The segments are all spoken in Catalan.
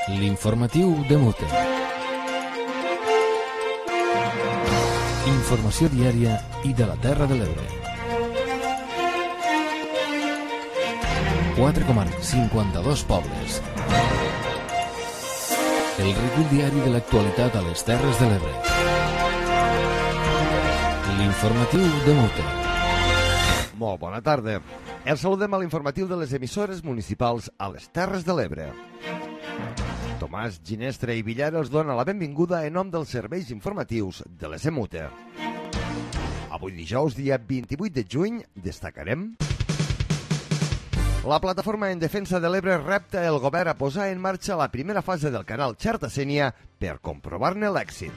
L'informatiu de Mute. Informació diària i de la Terra de l'Ebre. 4 comarques, 52 pobles. El recull diari de l'actualitat a les Terres de l'Ebre. L'informatiu de Mute. Molt bona tarda. Els saludem a l'informatiu de les emissores municipals a les Terres de l'Ebre. Tomàs Ginestra i Villar els dona la benvinguda en nom dels serveis informatius de les EMUTE. Avui dijous, dia 28 de juny, destacarem: la plataforma en defensa de l'Ebre repta el govern a posar en marxa la primera fase del canal Xerta-Sénia per comprovar-ne l'èxit.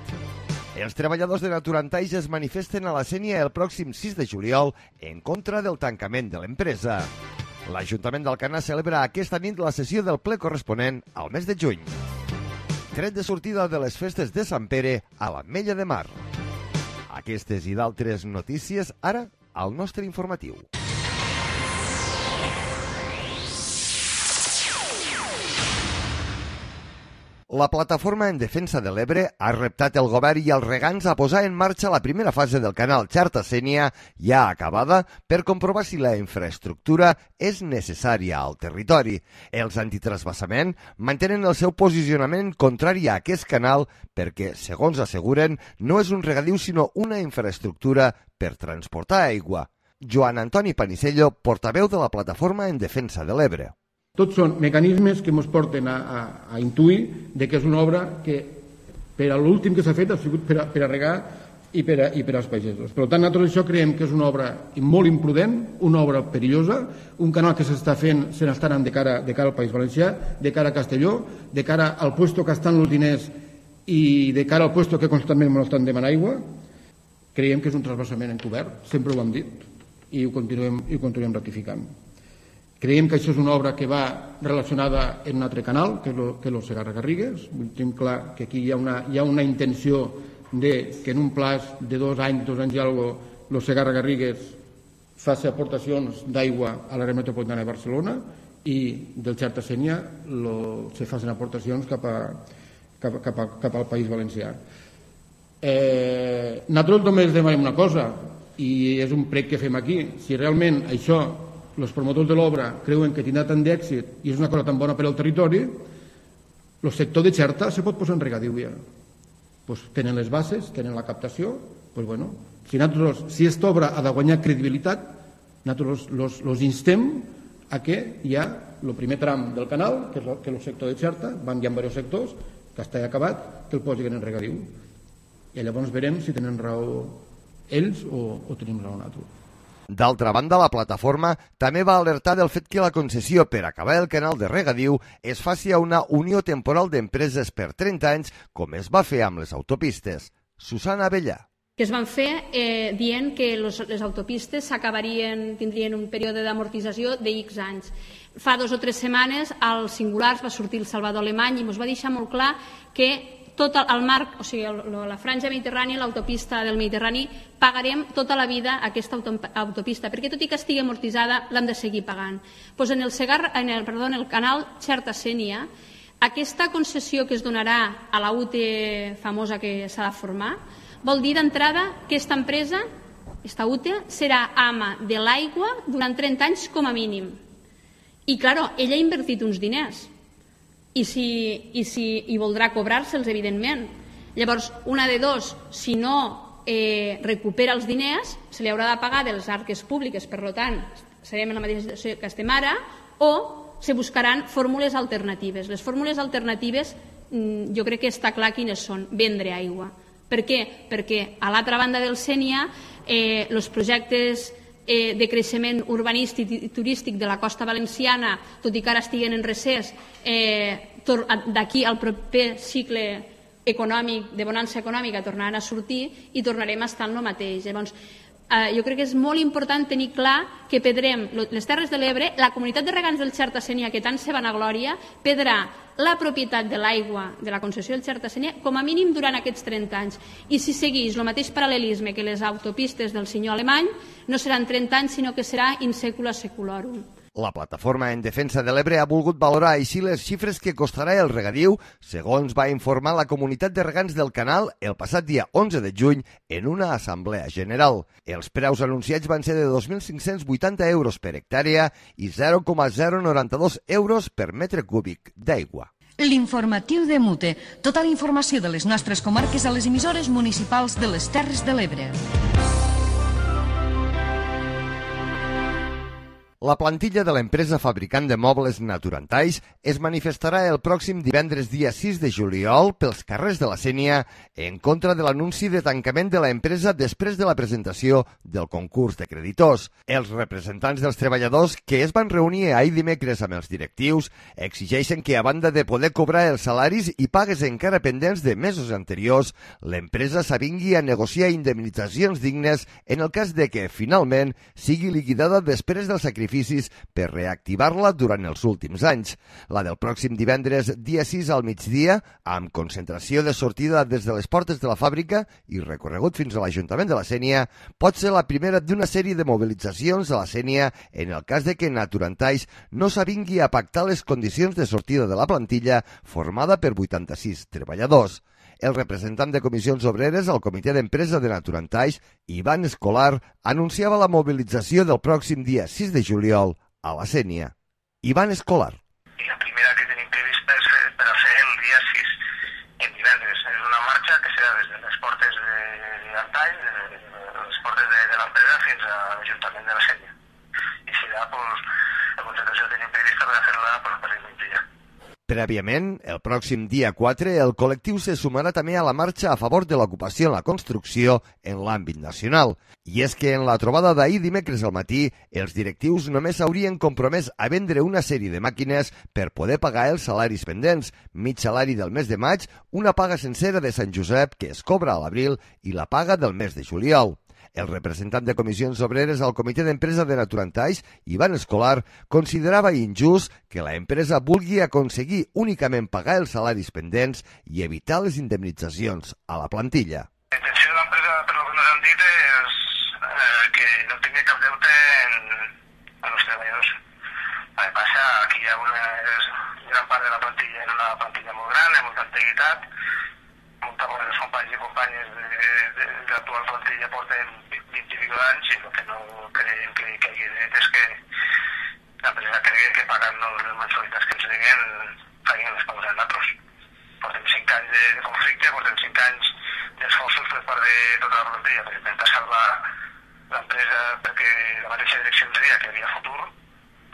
Els treballadors de Naturantaix es manifesten a la Sénia el pròxim 6 de juliol en contra del tancament de l'empresa. L'Ajuntament d'Alcanar celebra aquesta nit la sessió del ple corresponent al mes de juny. Tret de sortida de les festes de Sant Pere a l'Ametlla de Mar. Aquestes i d'altres notícies ara al nostre informatiu. La plataforma en defensa de l'Ebre ha reptat el govern i els regants a posar en marxa la primera fase del canal Xerta-Sénia, ja acabada, per comprovar si la infraestructura és necessària al territori. Els antitrasbassament mantenen el seu posicionament contrari a aquest canal perquè, segons asseguren, no és un regadiu sinó una infraestructura per transportar aigua. Joan Antoni Panisello, portaveu de la plataforma en defensa de l'Ebre. Tots són mecanismes que ens porten a intuir que és una obra que per a l'últim que s'ha fet ha sigut per a regar i per als pagesos. Per tant, nosaltres això creiem que és una obra molt imprudent, una obra perillosa, un canal que s'està fent, se n'està anant de cara al País Valencià, de cara a Castelló, de cara al puesto que estan els diners i de cara al puesto que constantment ens estan demanant aigua. Creiem que és un transvasament encobert, sempre ho hem dit i ho continuem ratificant. Creiem que això és una obra que va relacionada en un altre canal, que és el Segarra-Garrigues. Tenim clar que aquí hi ha una intenció que en un plaç de 2 anys i alguna el Segarra-Garrigues faci aportacions d'aigua a l'àrea metropolitana de Barcelona i del Xerta-Sénia se facin aportacions cap al País Valencià. Nosaltres només demanem una cosa, i és un prec que fem aquí. Si realment això els promotors de l'obra creuen que tindrà tant d'èxit i és una cosa tan bona per al territori, el sector de Xerta se pot posar en regadiu ja. Tenen les bases, tenen la captació, si aquesta obra ha de guanyar credibilitat, nosaltres els instem a que hi ha el primer tram del canal, que és el sector de Xerta, hi ha diversos sectors, que està acabat, que el posin en regadiu. I llavors verem si tenen raó ells o tenim raó nosaltres. D'altra banda, la plataforma també va alertar del fet que la concessió per acabar el canal de regadiu es faci a una unió temporal d'empreses per 30 anys, com es va fer amb les autopistes. Susana Abellà. Que es van fer dient que les autopistes tindrien un període d'amortització de X anys. Fa 2 o 3 setmanes als Singulars va sortir el Salvador Alemany i ens va deixar molt clar que tot el marc, o sigui, la franja mediterrània, l'autopista del Mediterrani, pagarem tota la vida aquesta autopista, perquè tot i que estigui amortitzada l'hem de seguir pagant. En el canal Xerta-Sénia, aquesta concessió que es donarà a la UTE famosa que s'ha de formar, vol dir d'entrada que aquesta empresa, aquesta UTE, serà ama de l'aigua durant 30 anys com a mínim. I, clar, ella ha invertit uns diners. I voldrà cobrar-se'ls, evidentment. Llavors, una de dos, si no recupera els diners, se li haurà de pagar de les arques públiques, per tant, serem en la mateixa situació que estem ara, o se buscaran fórmules alternatives. Les fórmules alternatives jo crec que està clar quines són: vendre aigua. Per què? Perquè a l'altra banda del Sénia els projectes de creixement urbanístic i turístic de la costa valenciana, tot i que ara estiguen en recés, d'aquí al proper cicle econòmic, de bonança econòmica, tornaran a sortir i tornarem a estar en el mateix. Llavors, jo crec que és molt important tenir clar que perdrem les Terres de l'Ebre, la comunitat de regants del Xerta-Sénia, que tant se vanaglòria, perdrà la propietat de l'aigua de la concessió del Xerta-Sénia com a mínim durant aquests 30 anys. I si segueix el mateix paral·lelisme que les autopistes del senyor Alemany, no seran 30 anys, sinó que serà in secula seculorum. La plataforma en defensa de l'Ebre ha volgut valorar així les xifres que costarà el regadiu, segons va informar la comunitat de regants del canal el passat dia 11 de juny en una assemblea general. Els preus anunciats van ser de 2.580 euros per hectàrea i 0,092 euros per metre cúbic d'aigua. L'informatiu de Mute. Tota la informació de les nostres comarques a les emissores municipals de les Terres de l'Ebre. La plantilla de l'empresa fabricant de mobles Naturantais es manifestarà el pròxim divendres dia 6 de juliol pels carrers de la Sénia en contra de l'anunci de tancament de l'empresa després de la presentació del concurs de creditors. Els representants dels treballadors que es van reunir ahir dimecres amb els directius exigeixen que, a banda de poder cobrar els salaris i pagues encara pendents de mesos anteriors, l'empresa s'avingui a negociar indemnitzacions dignes en el cas de que, finalment, sigui liquidada després del sacrifici per reactivar-la durant els últims anys. La del pròxim divendres, dia 6 al migdia, amb concentració de sortida des de les portes de la fàbrica i recorregut fins a l'Ajuntament de la Sénia, pot ser la primera d'una sèrie de mobilitzacions a la Sénia en el cas de que Naturantais no s'avingui a pactar les condicions de sortida de la plantilla formada per 86 treballadors. El representant de Comissions Obreres al Comitè d'Empresa de Naturantais, Ivan Escolar, anunciava la mobilització del pròxim dia 6 de juliol a la Sénia. Ivan Escolar. La primera que tenim prevista és per a fer el dia 6 en divendres. És una marxa que serà des de les portes d'Antais, de les portes de l'empresa fins a l'Ajuntament de la Sénia. I serà, la concentració que tenim prevista per a fer-la per el migdia. Prèviament, el pròxim dia 4, el col·lectiu se sumarà també a la marxa a favor de l'ocupació en la construcció en l'àmbit nacional. I és que en la trobada d'ahir dimecres al matí, els directius només s'haurien compromès a vendre una sèrie de màquines per poder pagar els salaris pendents, mig salari del mes de maig, una paga sencera de Sant Josep que es cobra a l'abril i la paga del mes de juliol. El representant de Comissions Obreres al Comitè d'Empresa de Naturantais, Ivan Escolar, considerava injust que la empresa vulgui aconseguir únicament pagar els salaris pendents i evitar les indemnitzacions a la plantilla. La intenció de l'empresa, per el que ens han dit, és que no tingui cap deute en els treballadors. El que passa, aquí hi ha gran part de la plantilla, és una plantilla molt gran, amb molta antiguitat, molta part dels companys i companyes de l'actual plantilla porten 20 i pico d'anys i el que no creiem que hi hagi dret és que l'empresa cregui que pagant les mensualitats que ens diguen facin les pagues a nosaltres. Portem 5 anys de conflicte, portem 5 anys d'esforços per part de tota la plantilla per intentar salvar l'empresa perquè la mateixa direcció ens deia que hi havia futur,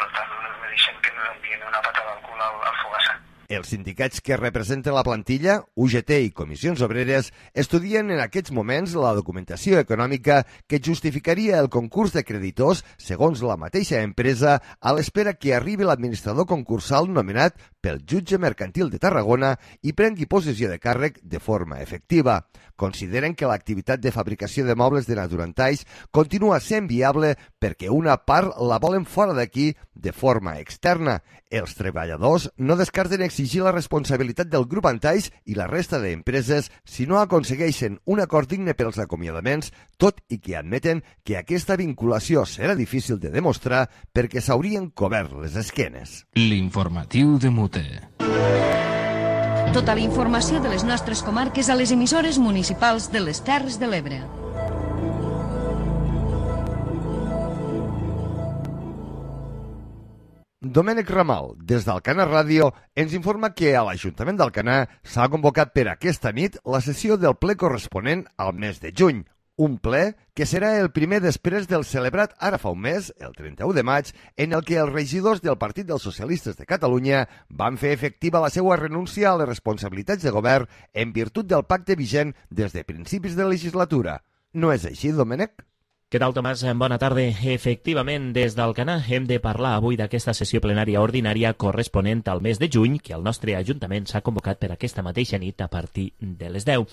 per tant no ens mereixem que ens envien una patada al cul al Fogassa. Els sindicats que representen la plantilla, UGT i Comissions Obreres, estudien en aquests moments la documentació econòmica que justificaria el concurs de creditors segons la mateixa empresa a l'espera que arribi l'administrador concursal nomenat pel jutge mercantil de Tarragona i prengui possessió de càrrec de forma efectiva. Consideren que l'activitat de fabricació de mobles de Naturantais continua sent viable perquè una part la volen fora d'aquí de forma externa. Els treballadors no descarten exigir la responsabilitat del grup Antais i la resta d'empreses si no aconsegueixen un acord digne pels acomiadaments, tot i que admeten que aquesta vinculació serà difícil de demostrar perquè s'haurien cobert les esquenes. L'informatiu de Mute. Tota la informació de les nostres comarques a les emissores municipals de les Terres de l'Ebre. Domènec Ramal, des d'Alcanar Ràdio, ens informa que a l'Ajuntament d'Alcanar s'ha convocat per aquesta nit la sessió del ple corresponent al mes de juny. Un ple que serà el primer després del celebrat ara fa un mes, el 31 de maig, en el que els regidors del Partit dels Socialistes de Catalunya van fer efectiva la seva renúncia a les responsabilitats de govern en virtut del pacte vigent des de principis de legislatura. No és així, Domènec? Què tal, Tomàs? Bona tarda. Efectivament, des d'Alcanar hem de parlar avui d'aquesta sessió plenària ordinària corresponent al mes de juny que el nostre Ajuntament s'ha convocat per aquesta mateixa nit a partir de les 10.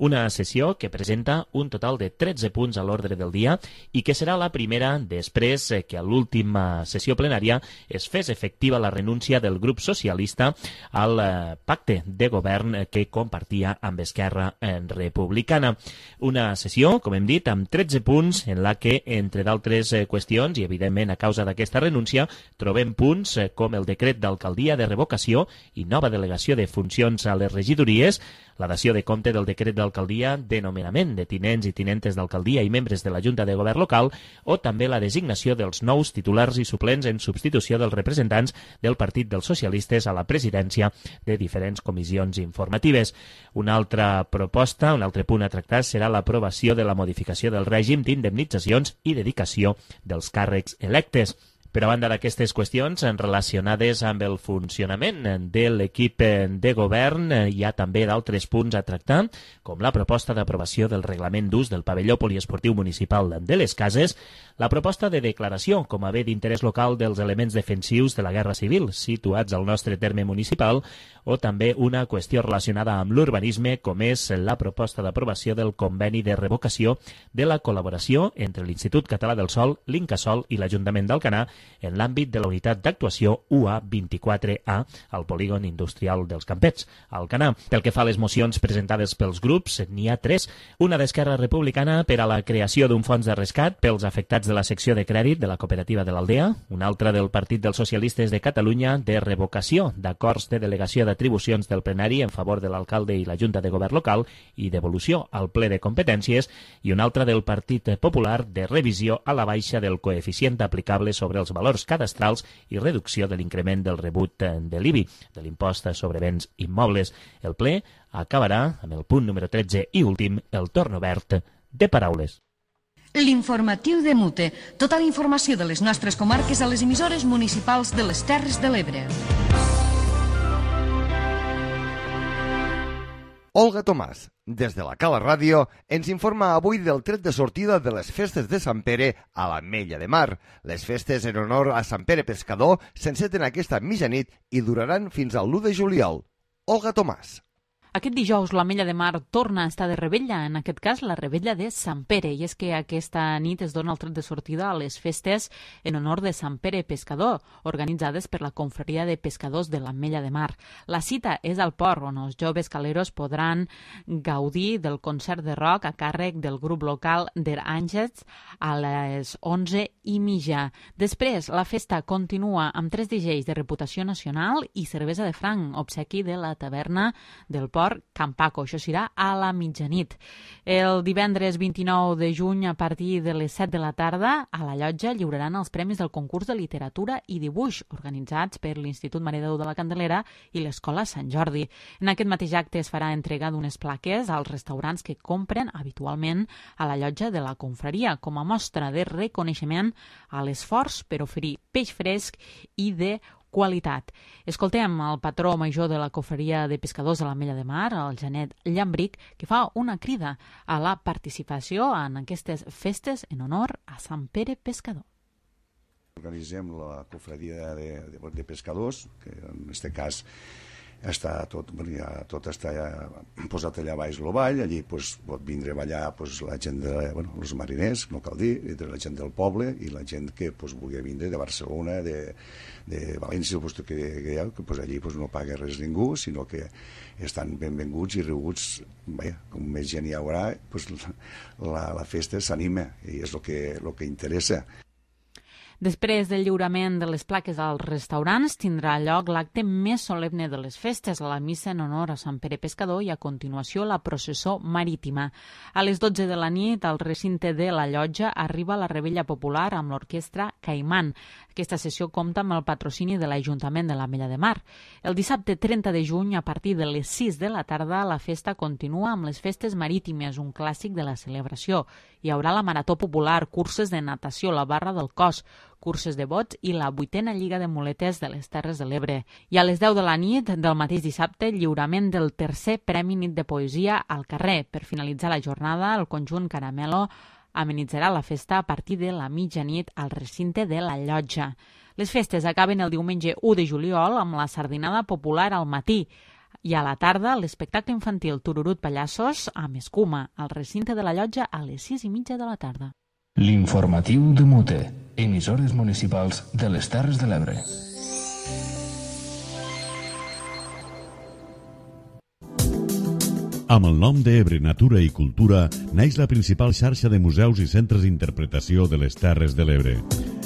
Una sessió que presenta un total de 13 punts a l'ordre del dia i que serà la primera després que a l'última sessió plenària es fes efectiva la renúncia del grup socialista al pacte de govern que compartia amb Esquerra Republicana. Una sessió, com hem dit, amb 13 punts en la que, entre d'altres qüestions, i evidentment a causa d'aquesta renúncia, trobem punts com el decret d'alcaldia de revocació i nova delegació de funcions a les regidories, la dació de compte del decret d'alcaldia de nomenament de tinents i tinentes d'alcaldia i membres de la Junta de Govern local, o també la designació dels nous titulars i suplents en substitució dels representants del Partit dels Socialistes a la presidència de diferents comissions informatives. Una altra proposta, un altre punt a tractar serà l'aprovació de la modificació del règim d'indemnitzacions i dedicació dels càrrecs electes. Per a banda d'aquestes qüestions relacionades amb el funcionament de l'equip de govern, hi ha també d'altres punts a tractar, com la proposta d'aprovació del reglament d'ús del pavelló poliesportiu municipal de les Cases, la proposta de declaració com a bé d'interès local dels elements defensius de la Guerra Civil situats al nostre terme municipal, o també una qüestió relacionada amb l'urbanisme, com és la proposta d'aprovació del conveni de revocació de la col·laboració entre l'Institut Català del Sòl, l'Incasòl i l'Ajuntament d'Alcanar en l'àmbit de la unitat d'actuació UA24A al polígon industrial dels Campets, a Alcanar. Pel que fa a les mocions presentades pels grups, n'hi ha 3. Una d'Esquerra Republicana per a la creació d'un fons de rescat pels afectats de la secció de crèdit de la cooperativa de l'Aldea, una altra del Partit dels Socialistes de Catalunya de revocació d'acords de delegació d'atribucions del plenari en favor de l'alcalde i la Junta de Govern local i devolució al ple de competències, i una altra del Partit Popular de revisió a la baixa del coeficient aplicable sobre els valors cadastrals i reducció de l'increment del rebut de l'IBI, de l'impost sobre béns immobles. El ple acabarà amb el punt número 13 i últim, el torn obert de paraules. L'informatiu de Mute. Tota la informació de les nostres comarques a les emissores municipals de les Terres de l'Ebre. Olga Tomàs, des de la Cala Ràdio, ens informa avui del tret de sortida de les festes de Sant Pere a l'Ametlla de Mar. Les festes en honor a Sant Pere Pescador s'enceten aquesta mitjanit i duraran fins al 1 de juliol. Olga Tomàs. Aquest dijous l'Ametlla de Mar torna a estar de revetlla, en aquest cas la revetlla de Sant Pere, i és que aquesta nit es dona el tret de sortida a les festes en honor de Sant Pere Pescador, organitzades per la Confraria de Pescadors de l'Ametlla de Mar. La cita és al port, on els joves caleros podran gaudir del concert de rock a càrrec del grup local Der Àngels a les 11:30. Després, la festa continua amb 3 DJs de reputació nacional i cervesa de franc, obsequi de la taverna del port Can Paco. Això serà a la mitjanit. El divendres 29 de juny, a partir de les 7 de la tarda, a la llotja lliuraran els premis del concurs de literatura i dibuix, organitzats per l'Institut Mare de Déu de la Candelera i l'Escola Sant Jordi. En aquest mateix acte es farà entrega d'unes plaques als restaurants que compren habitualment a la llotja de la confraria, com a mostra de reconeixement a l'esforç per oferir peix fresc i de qualitat. Escoltem el patró major de la Confraria de Pescadors de l'Ametlla de Mar, el Janet Llambric, que fa una crida a la participació en aquestes festes en honor a Sant Pere Pescador. Organitzem la Confraria de Pescadors, que en aquest cas està tot està posat allà baix el vall, allí pot vindre a ballar la gent, els mariners, no cal dir, la gent del poble i la gent que vulgui vindre de Barcelona, de València, que allí no paga res ningú, sinó que estan benvinguts i rebuts, com més gent hi haurà, la festa s'anima i és el que interessa. Després del lliurament de les plaques als restaurants, tindrà lloc l'acte més solemne de les festes, la missa en honor a Sant Pere Pescador i a continuació la processó marítima. A les 12 de la nit, al recinte de la llotja, arriba la revetlla popular amb l'orquestra Caimán. Aquesta sessió compta amb el patrocini de l'Ajuntament de l'Ametlla de Mar. El dissabte 30 de juny, a partir de les 6 de la tarda, la festa continua amb les festes marítimes, un clàssic de la celebració. Hi haurà la marató popular, curses de natació, la barra del cos, curses de bots i la 8a Lliga de Muletes de les Terres de l'Ebre. I a les 10 de la nit del mateix dissabte, lliurament del tercer Premi Nit de Poesia al carrer. Per finalitzar la jornada, el conjunt Caramelo amenitzarà la festa a partir de la mitjanit al recinte de la llotja. Les festes acaben el diumenge 1 de juliol amb la sardinada popular al matí i a la tarda l'espectacle infantil Tururut Pallassos amb escuma al recinte de la llotja a les 6:30 de la tarda. L'informatiu de Mute, emissores municipals de les Terres de l'Ebre. Amb el nom d'Ebre Natura i Cultura neix la principal xarxa de museus i centres d'interpretació de les Terres de l'Ebre.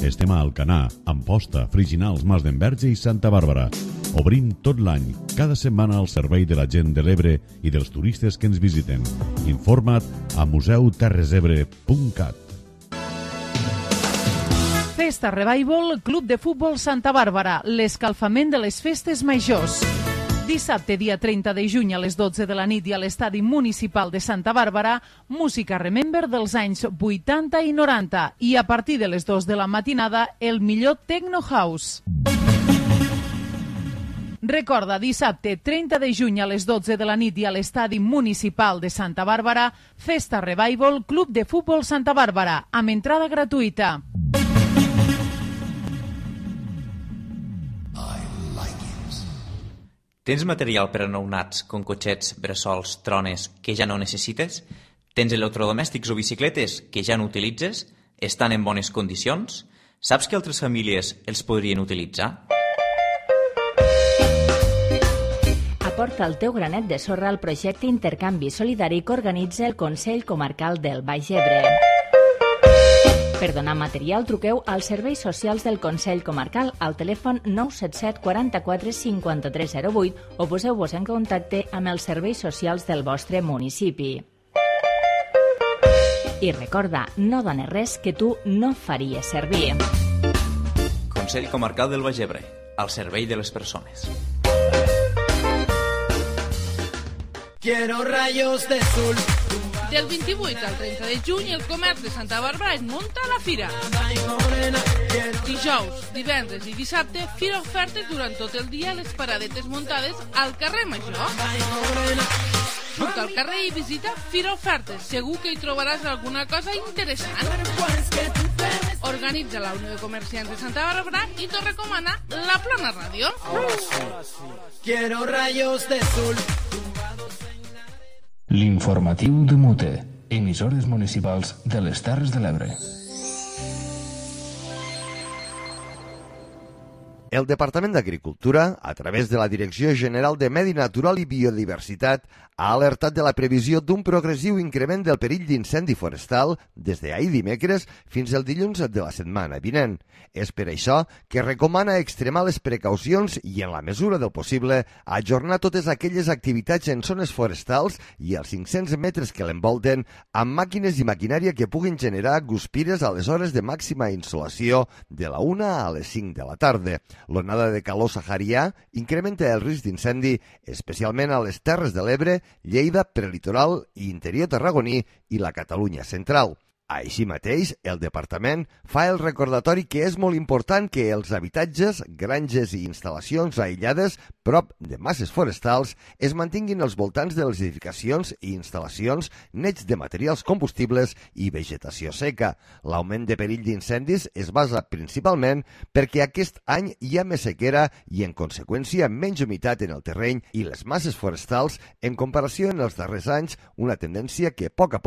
Estem a Alcanar, Amposta, Friginals, Mas d'Enverge i Santa Bàrbara. Obrim tot l'any, cada setmana al servei de la gent de l'Ebre i dels turistes que ens visiten. Informa't a museuterresebre.cat. Festa Revival, Club de Futbol Santa Bàrbara, l'escalfament de les festes majors. Dissabte, dia 30 de juny a les 12 de la nit i a l'estadi municipal de Santa Bàrbara, música Remember dels anys 80 i 90 i a partir de les 2 de la matinada el millor Techno House. Recorda, dissabte 30 de juny a les 12 de la nit i a l'estadi municipal de Santa Bàrbara, Festa Revival, Club de Futbol Santa Bàrbara, amb entrada gratuïta. Tens material per a nounats, com cotxets, bressols, trones, que ja no necessites? Tens electrodomèstics o bicicletes que ja no utilitzes? Estan en bones condicions? Saps que altres famílies els podrien utilitzar? Aporta el teu granet de sorra al projecte Intercanvi Solidari que organitza el Consell Comarcal del Baix Ebre. Per donar material, truqueu als serveis socials del Consell Comarcal al telèfon 977 44 5308 o poseu-vos en contacte amb els serveis socials del vostre municipi. I recorda, no dones res que tu no faries servir. Consell Comarcal del Baix Ebre, al servei de les persones. Quiero rayos de sol. Del 28 al 30 de juny, el comerç de Santa Bàrbara es munta a la fira. Dijous, divendres i dissabte, fira ofertes durant tot el dia a les paradetes muntades al carrer Major. Surta al carrer i visita Fira Ofertes. Segur que hi trobaràs alguna cosa interessant. Organitza la Unió de Comerciants de Santa Bàrbara i t'ho recomana la Plana Ràdio. Quiero rayos de sol. L'informatiu de Mute, emissores municipals de les Terres de l'Ebre. El Departament d'Agricultura, a través de la Direcció General de Medi Natural i Biodiversitat, ha alertat de la previsió d'un progressiu increment del perill d'incendi forestal des d'ahir dimecres fins al dilluns de la setmana vinent. És per això que recomana extremar les precaucions i, en la mesura del possible, ajornar totes aquelles activitats en zones forestals i els 500 metres que l'envolten amb màquines i maquinària que puguin generar guspires a les hores de màxima insolació de la 1 a les 5 de la tarda. L'onada de calor saharià incrementa el risc d'incendi, especialment a les Terres de l'Ebre, Lleida, prelitoral i interior tarragoní i la Catalunya central. Així mateix, el departament fa el recordatori que és molt important que els habitatges, granges i instal·lacions aïllades prop de masses forestals es mantinguin als voltants de les edificacions i instal·lacions nets de materials combustibles i vegetació seca. L'augment de perill d'incendis es basa principalment perquè aquest any hi ha més sequera i, en conseqüència, menys humitat en el terreny i les masses forestals en comparació en els darrers anys, una tendència que a poc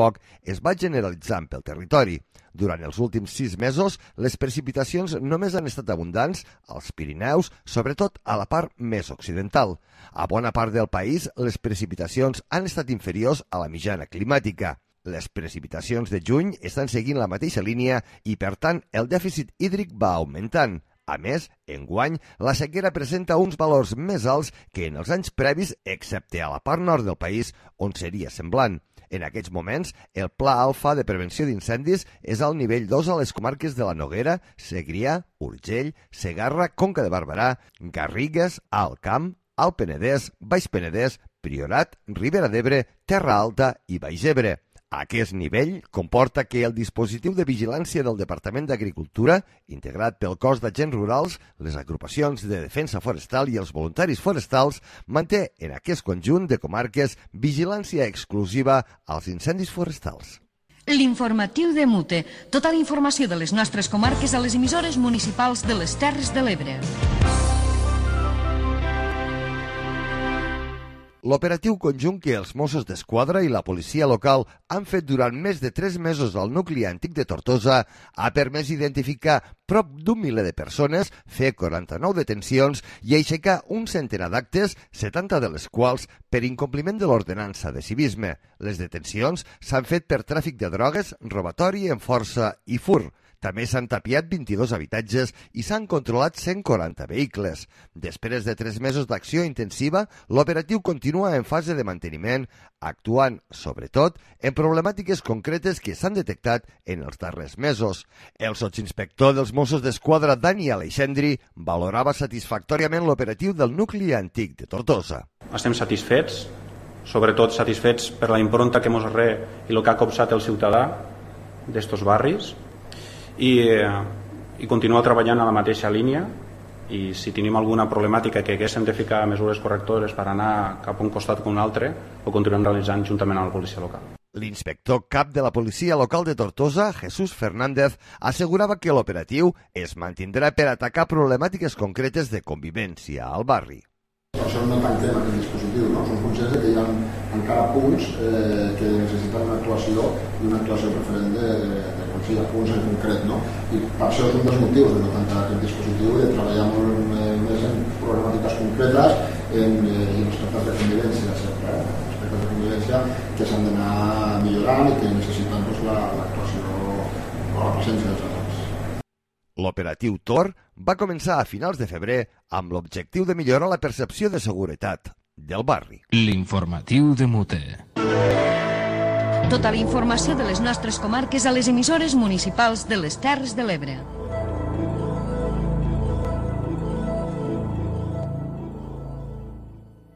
es va generalitzant pel territori. Durant els últims 6 mesos, les precipitacions només han estat abundants als Pirineus, sobretot a la part més occidental. A bona part del país, les precipitacions han estat inferiors a la mitjana climàtica. Les precipitacions de juny estan seguint la mateixa línia i, per tant, el dèficit hídric va augmentant. A més, enguany, la sequera presenta uns valors més alts que en els anys previs, excepte a la part nord del país, on seria semblant. En aquests moments, el Pla Alfa de Prevenció d'Incendis és al nivell 2 a les comarques de la Noguera, Segrià, Urgell, Segarra, Conca de Barberà, Garrigues, Alt Camp, Alt Penedès, Baix Penedès, Priorat, Ribera d'Ebre, Terra Alta i Baix Ebre. Aquest nivell comporta que el dispositiu de vigilància del Departament d'Agricultura, integrat pel cos d'agents rurals, les agrupacions de defensa forestal i els voluntaris forestals, manté en aquest conjunt de comarques vigilància exclusiva als incendis forestals. L'informatiu de Mute. Tota la informació de les nostres comarques a les emissores municipals de les Terres de l'Ebre. L'operatiu conjunt que els Mossos d'Esquadra i la policia local han fet durant més de 3 mesos al nucli antic de Tortosa ha permès identificar prop d'1 miler de persones, fer 49 detencions i aixecar un centenar d'actes, 70 de les quals per incompliment de l'ordenança de civisme. Les detencions s'han fet per tràfic de drogues, robatori en força i fur. També s'han tapiat 22 habitatges i s'han controlat 140 vehicles. Després de 3 mesos d'acció intensiva, l'operatiu continua en fase de manteniment, actuant, sobretot, en problemàtiques concretes que s'han detectat en els darrers mesos. El sotsinspector dels Mossos d'Esquadra, Dani Aleixandri, valorava satisfactòriament l'operatiu del nucli antic de Tortosa. Estem satisfets, sobretot satisfets per la impronta que mos re i el que ha copsat el ciutadà d'estos barris, i continuar treballant a la mateixa línia, i si tenim alguna problemàtica que haguéssim de ficar mesures correctores per anar cap a un costat o un altre, ho continuem realitzant juntament amb la policia local. L'inspector cap de la policia local de Tortosa, Jesús Fernández, assegurava que l'operatiu es mantindrà per atacar problemàtiques concretes de convivència al barri. Per això no tanquem aquest dispositiu, no? Som conscients que hi ha encara punts que necessiten una actuació i una actuació preferent hi ha punts en concret, no? I per això és un dels motius de no tancar aquest dispositiu i de treballar molt més en problemàtiques concretes i en aspectes de convivència, sempre, aspectes de convivència que s'han d'anar millorant i que necessiten l'actuació o la presència dels agents. L'operatiu Tor va començar a finals de febrer amb l'objectiu de millorar la percepció de seguretat del barri. L'informatiu de Mute. Tota la informació de les nostres comarques a les emissores municipals de les Terres de l'Ebre.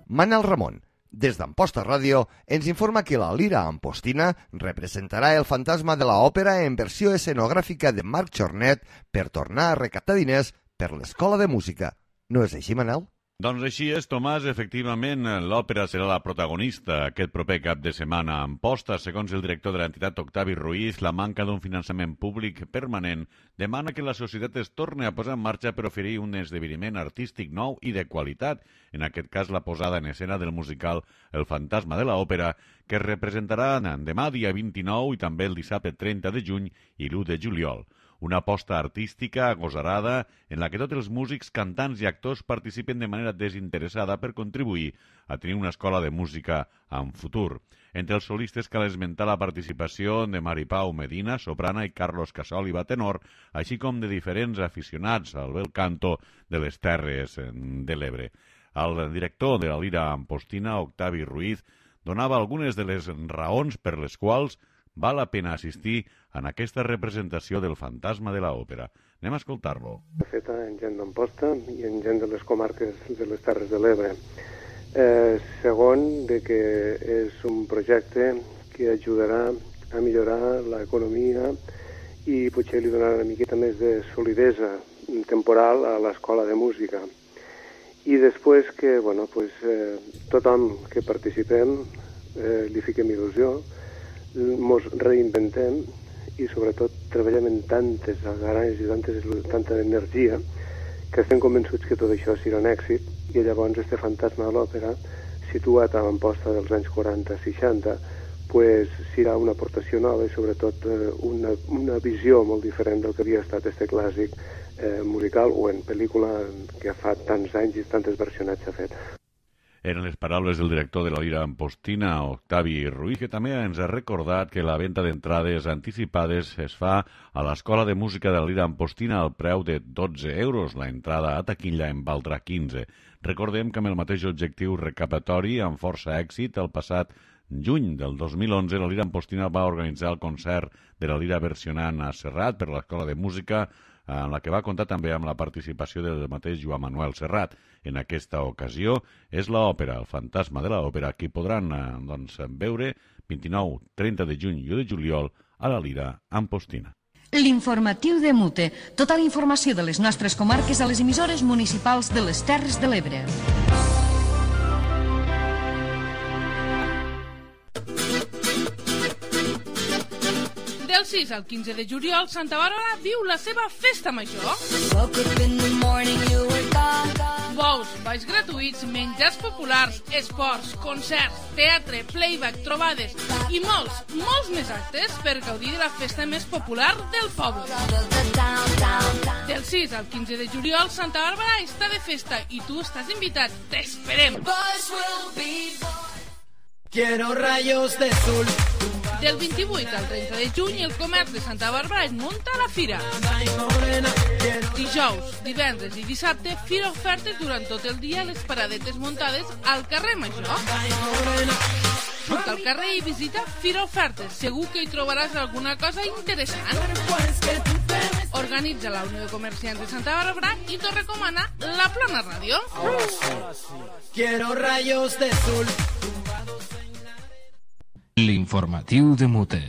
Manel Ramon, des d'Amposta Ràdio, ens informa que la Lira Ampostina representarà el fantasma de l'òpera en versió escenogràfica de Marc Jornet per tornar a recaptar diners per l'Escola de Música. No és així, Manel? Doncs així és, Tomàs. Efectivament, l'òpera serà la protagonista aquest proper cap de setmana a Amposta. Segons el director de l'entitat, Octavi Ruiz, la manca d'un finançament públic permanent demana que la societat es torni a posar en marxa per oferir un esdeveniment artístic nou i de qualitat, en aquest cas la posada en escena del musical El fantasma de l'òpera, que es representarà demà dia 29 i també el dissabte 30 de juny i l'1 de juliol. Una aposta artística agosarada en la que tots els músics, cantants i actors participen de manera desinteressada per contribuir a tenir una escola de música en futur. Entre els solistes cal esmentar la participació de Maripau Medina, soprana, i Carlos Casòliva, tenor, així com de diferents aficionats al bel canto de les Terres de l'Ebre. El director de la Lira Ampostina, Octavi Ruiz, donava algunes de les raons per les quals val la pena assistir en aquesta representació del fantasma de l'òpera. Anem a escoltar-lo. Feta en gent d'Amposta i en gent de les comarques de les Terres de l'Ebre. Segon, de que és un projecte que ajudarà a millorar l'economia i potser li donarà una miqueta més de solidesa temporal a l'escola de música. I després que tothom que participem li fiquem il·lusió, mos reinventem i sobretot treballem en tantes agaranys i tanta energia que estem convençuts que tot això serà un èxit i llavors este fantasma de l'òpera situat a l'Amposta dels anys 40-60 serà una aportació nova i sobretot una visió molt diferent del que havia estat este clàssic musical o en pel·lícula que fa tants anys i tantes versionats s'ha fet. Eren les paraules del director de la Lira Ampostina, Octavi Ruiz, que també ens ha recordat que la venda d'entrades anticipades es fa a l'Escola de Música de la Lira Ampostina al preu de 12 euros. La entrada a taquilla en valdrà 15. Recordem que amb el mateix objectiu recaptatori, amb força èxit, el passat juny del 2011, la Lira Ampostina va organitzar el concert de la Lira versionant a Serrat per l'Escola de Música, en la que va comptar també amb la participació del mateix Joan Manuel Serrat. En aquesta ocasió és l'òpera, el fantasma de l'òpera, que podran veure 29, 30 de juny i 1 de juliol a la Lira Ampostina. L'informatiu de Mute. Tota la informació de les nostres comarques a les emissores municipals de les Terres de l'Ebre. Del 6 al 15 de juliol, Santa Bàrbara viu la seva festa major. Bous, balls gratuïts, menjars populars, esports, concerts, teatre, playback, trobades i molts més actes per gaudir de la festa més popular del poble. Del 6 al 15 de juliol, Santa Bàrbara està de festa i tu estàs invitat. T'esperem! Quiero rayos de sol. Del 28 al 30 de juny, el comerç de Santa Bàrbara es munta a la fira. Dijous, divendres i dissabte, fira ofertes durant tot el dia a les paradetes muntades al carrer Major. Surt al carrer i visita Fira Ofertes. Segur que hi trobaràs alguna cosa interessant. Organitza la Unió de Comerciants de Santa Bàrbara i t'ho recomana la Plana Ràdio. Quiero rayos de sol. L'informatiu de Mute.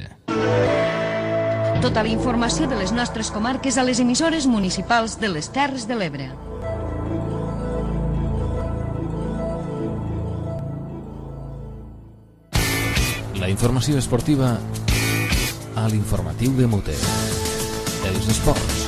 Tota la informació de les nostres comarques a les emissores municipals de les Terres de l'Ebre. La informació esportiva a l'informatiu de Mute. Els esports.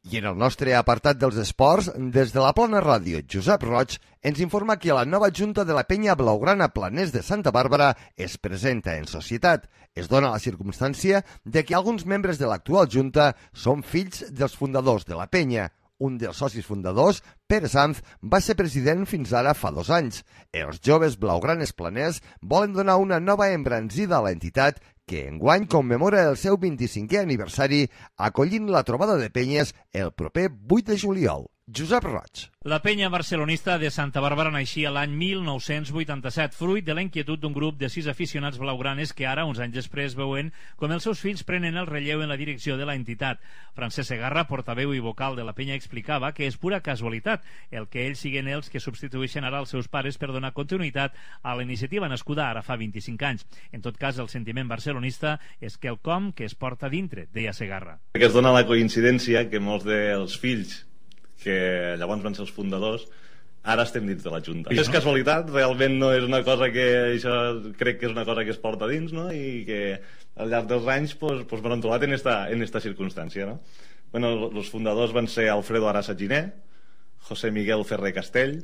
I en el nostre apartat dels esports, des de la Plana Ràdio, Josep Roig ens informa que la nova junta de la penya blaugrana Planers de Santa Bàrbara es presenta en societat. Es dona la circumstància de que alguns membres de l'actual junta són fills dels fundadors de la penya. Un dels socis fundadors, Pere Sanz, va ser president fins ara fa 2 anys. Els joves blaugranes planers volen donar una nova embranzida a l'entitat que enguany commemora el seu 25è aniversari acollint la trobada de penyes el proper 8 de juliol. Josep Roig. La penya barcelonista de Santa Bàrbara naixia l'any 1987, fruit de la inquietud d'un grup de 6 aficionats blaugranes que ara, uns anys després, veuen com els seus fills prenen el relleu en la direcció de la entitat. Francesc Segarra, portaveu i vocal de la penya, explicava que és pura casualitat el que ells siguen els que substitueixen ara els seus pares per donar continuïtat a la iniciativa nascuda ara fa 25 anys. En tot cas, el sentiment barcelonista és quelcom que es porta dintre, deia Segarra. Que es dona la coincidència que molts dels fills que llavors van ser els fundadors, ara estem dins de la Junta. És casualitat, realment no és una cosa que... Això crec que és una cosa que es porta dins, no? I que al llarg dels anys pues m'han trobat en esta circumstància, no? Bueno, els fundadors van ser Alfredo Arasa Giné, José Miguel Ferrer Castell,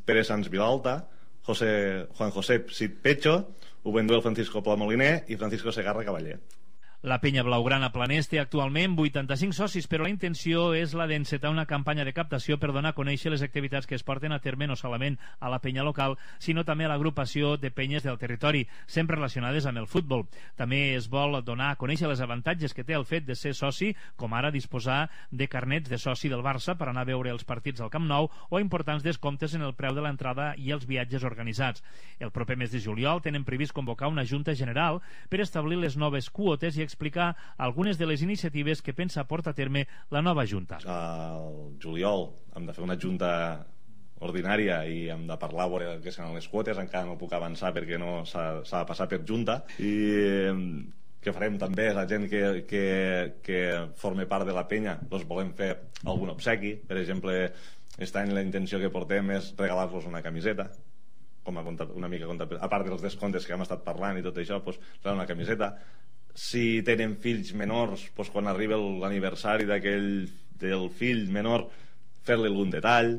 Pere Sanz Vilalta, Juan José Cid Pecho, Ubenduel Francisco Pla Moliner i Francisco Segarra Cavaller. La penya blaugrana Planers té actualment 85 socis, però la intenció és la d'encetar una campanya de captació per donar a conèixer les activitats que es porten a terme no solament a la penya local, sinó també a l'agrupació de penyes del territori, sempre relacionades amb el futbol. També es vol donar a conèixer els avantatges que té el fet de ser soci, com ara disposar de carnets de soci del Barça per anar a veure els partits al Camp Nou o importants descomptes en el preu de l'entrada i els viatges organitzats. El proper mes de juliol tenen previst convocar una junta general per establir les noves quotes i explicar algunes de les iniciatives que pensa portar a terme la nova Junta. Al juliol hem de fer una Junta ordinària i hem de parlar veure què seran les quotes, encara no puc avançar perquè no s'ha de passar per Junta, i que farem també la gent que forme part de la penya, doncs volem fer algun obsequi. Per exemple, aquest any la intenció que portem és regalar-los una camiseta, com a una mica a part dels descomptes que hem estat parlant i tot això, doncs regalar una camiseta. Si tenen fills menors, doncs quan arriba l'aniversari del fill menor, fer-li algun detall.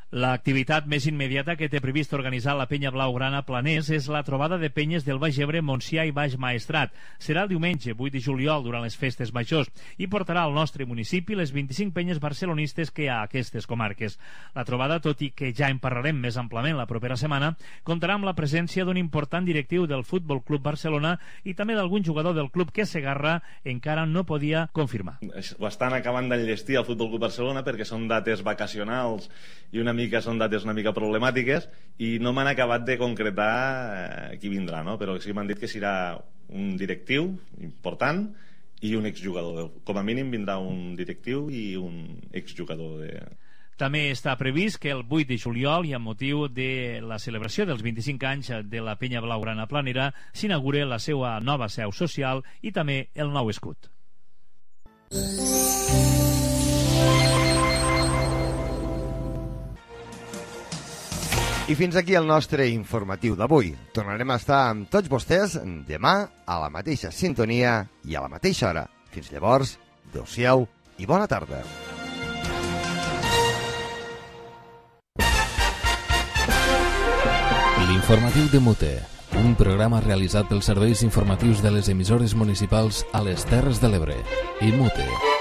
L'activitat més immediata que té previst organitzar la penya blaugrana Planers és la trobada de penyes del Baix Ebre, Montsià i Baix Maestrat. Serà el diumenge 8 de juliol durant les festes majors i portarà al nostre municipi les 25 penyes barcelonistes que hi ha a aquestes comarques. La trobada, tot i que ja en parlarem més amplament la propera setmana, comptarà amb la presència d'un important directiu del Futbol Club Barcelona i també d'algun jugador del club que Segarra encara no podia confirmar. Ho estan acabant d'enllestir al Futbol Club Barcelona perquè són dates vacacionals i són dates una mica problemàtiques i no m'han acabat de concretar qui vindrà, no? Però sí m'han dit que serà un directiu important i un exjugador. Com a mínim vindrà un directiu i un exjugador. També està previst que el 8 de juliol i amb motiu de la celebració dels 25 anys de la penya blaugrana planera s'inaugure la seva nova seu social i també el nou escut. I fins aquí el nostre informatiu d'avui. Tornarem a estar amb tots vostès demà a la mateixa sintonia i a la mateixa hora. Fins llavors, adéu-siau i bona tarda. L'informatiu de Mute, un programa realitzat pels serveis informatius de les emissores municipals a les Terres de l'Ebre i Mute.